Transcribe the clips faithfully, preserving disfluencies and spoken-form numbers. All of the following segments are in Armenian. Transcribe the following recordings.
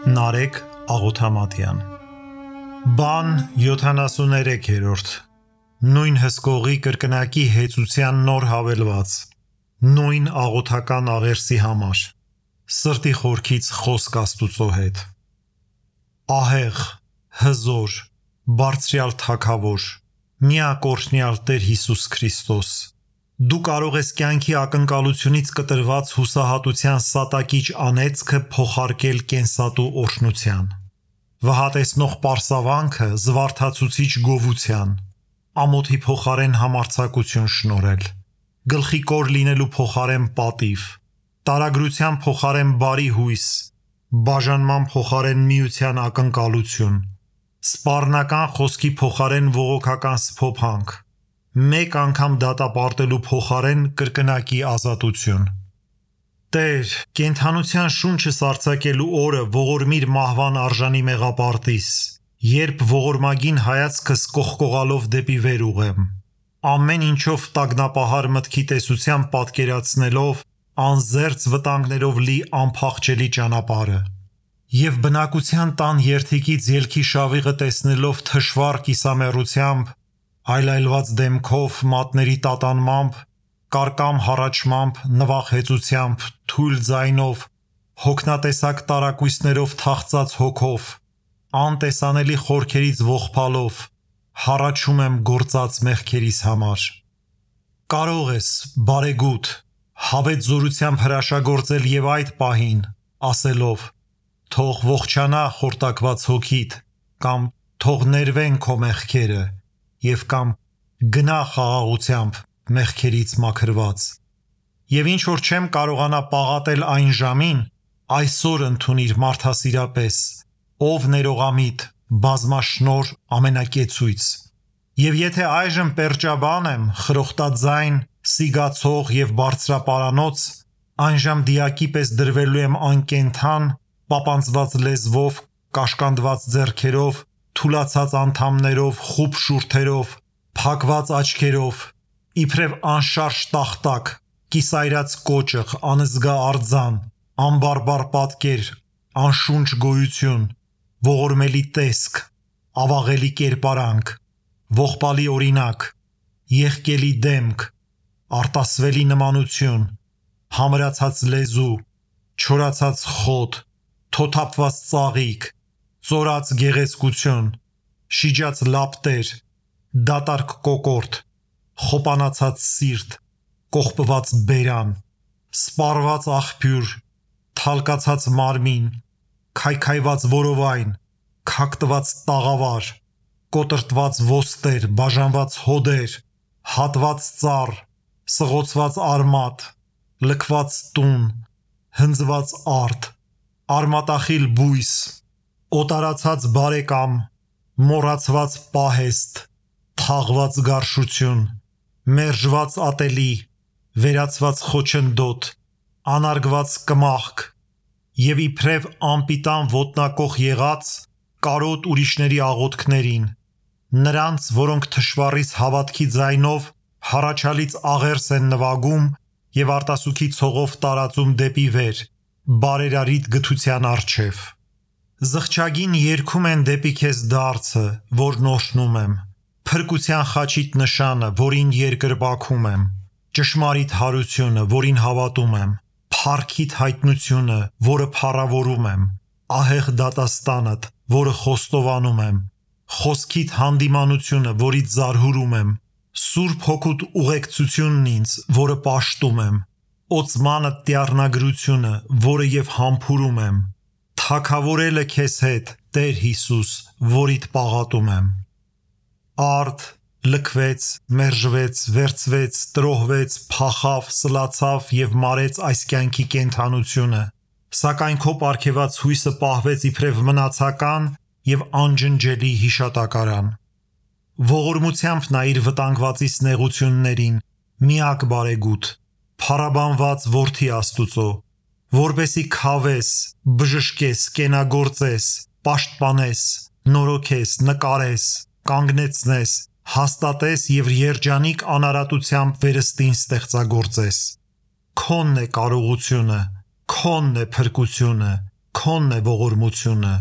Նարեկ Աղոթամատյան Բան յոթանասուներեքերորդ Նույն հսկողի կրկնակի հեծության նոր հավելված Նույն աղոթական աղերսի համար Սրտի խորքից խոսք Աստուծո հետ Ահեղ, հզոր, բարձրյալ թագավոր Միակորհնյալ Տեր Հիսուս Քրիստոս Դու կարող ես կյանքի ակնկալությունից կտրված հուսահատության սատակիչ անեծքը փոխարկել կենսատու օրհնության Վհատեցնող պարսավանքը զվարթացուցիչ գովության Ամոթի փոխարեն համարձակություն շնորհել Գլխի կոր լինելու փոխարեն պատիվ Տարագրության փոխարեն բարի հույս Բաժանման փոխարեն միության ակնկալություն Սպառնական խոսքի փոխարեն ողոքական սփոփանք Մեկ անգամ դատապարտելու փոխարեն կրկնակի ազատություն Տեր, կենդանության շունչը սառցակելու օրը ողորմիր մահվան արժանի մեղապարտիս Երբ ողորմագին հայացքս կողկողալով դեպի վեր ուղեմ Ամեն ինչով տագնապահար մտքի տեսությամբ պատկերացնելով Անզերծ վտանգներով լի անփախչելի ճանապարհը Եվ բնակության տան երթիկից ելքի շավիղը տեսնելով թշվառ կիսամեռությամբ Այլայլված դեմքով, մատների տատանմամբ, կարկամ հառաչմամբ, նվախեցությամբ, թույլ ձայնով, հոգնատեսակ տարակույսներով թախծած հոգով, անտեսանելի խորքերից ողբալով, հառաչում եմ գործած մեղքերիս համար։ Կարող ես, բարեգութ, հավետ զորությամբ հրաշագործել և այդ պահին, ասելով, թող ողջանա խորտակված հոգիդ, կամ թող ներվեն քո մեղքերը, և կամ գնա խաղաղությամբ մեղքերից մաքրված Եվ ինչ որ չեմ կարողանա պաղատել այն ժամին Այսօր ընդունիր մարդասիրապես Ով ներողամիտ, բազմաշնորհ ամենակեցույց Եվ եթե այժմ պերճաբան եմ, խրոխտաձայն, սիգացող և բարձրապարանոց Այնժամ դիակի պես դրվելու եմ անկենդան Պապանձված լեզվով, կաշկանդված ձեռքերով Թուլացած անդամներով, խուլ շուրթերով, փակված աչքերով, իբրև անշարժ տախտակ, կիսայրած կոճղ, անզգա արձան, անբարբար պատկեր, անշունչ գոյություն, ողորմելի տեսք, ավաղելի կերպարանք, ողբալի օրինակ, եղկելի դեմք, արտասվելի նմանություն, համրացած լեզու, չորացած խոտ, թոթափված ծաղիկ, ծորած գեղեցկություն, շիջած լապտեր, դատարկ կոկորդ, խոպանացած սիրտ, կողպված բերան, սպառված աղբյուր, թալկացած մարմին, քայքայված որովայն, քակտված տաղավար, կոտրտված ոստեր, բաժանված հոդեր, հատված ծառ, սղոցված արմատ, լքված տուն, հնձված արդ, արմատախիլ բույս, օտարացած բարեկամ, մոռացված պահեստ, թաղված գարշություն, մերժված ատելի, վերացված խոչընդոտ, անարգված կմախք և իբրև անպիտան ոտնակոխ եղած կարոտ ուրիշների աղոթքներին, նրանց, որոնք թշվառիս հավատքի ձայնով հառաչալից աղերս են նվագում և արտասուքի ցողով տարածում դեպի վեր, բարերարիտ գթության առջև։ Զղջագին երգում են դեպի քեզ դարձը, որն օրհնում եմ, փրկության խաչիդ նշանը, որին երկրպագում եմ, ճշմարիտ հարությունը, որին հավատում եմ, փառքիդ հայտնությունը, որը փառավորում եմ, ահեղ դատաստանդ, որը խոստովանում եմ, խոսքիդ հանդիմանությունը, որից զարհուրում եմ, Սուրբ Հոգուդ ուղեկցությունն ինձ, որը պաշտում եմ, օծմանդ տյառնագրությունը, որը և համբուրում եմ, թագավորելը քեզ հետ, Տեր Հիսուս, որիդ պաղատում եմ։ Արդ, լքվեց, մերժվեց, վերցվեց, տրոհվեց, փախավ, սլացավ և մարեց այս կյանքի կենդանությունը, սակայն քո պարգևած հույսը պահվեց իբրև մնացական և անջնջելի հիշատակարան։ Ողորմությամբ նայիր վտանգվածիս նեղություններին, միակ բարեգութ, փառաբանված որդի Աստուծո, որպեսզի քավես, բժշկես, կենագործես, պաշտպանես, նորոգես, նկարես, կանգնեցնես, հաստատես և երջանիկ անարատությամբ վերստին ստեղծագործես։ Քոնն է կարողությունը, քոնն է փրկությունը, քոնն է ողորմությունը,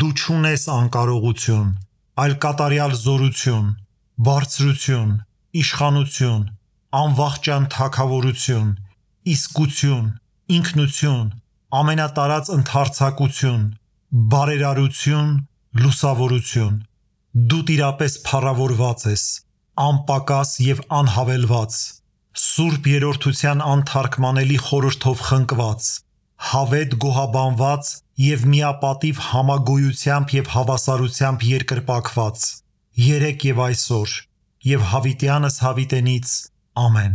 դու չունես անկարողություն, այլ կատարյալ զորություն, բարձրություն, իշխանություն, անվախճան թագավորություն, իսկություն, ինքնություն, ամենատարած ընդարձակություն, բարերարություն, լուսավորություն, դու տիրապես փառավորված ես, անպակաս և անհավելված, սուրբ երրորդության անթարգմանելի խորհրդով խնկված, հավետ գոհաբանված և միապատիվ համագոյությամբ և հավասարությամբ երկրպագված, երեկ և այսօր, և հավիտյանս հավիտենից, ամեն։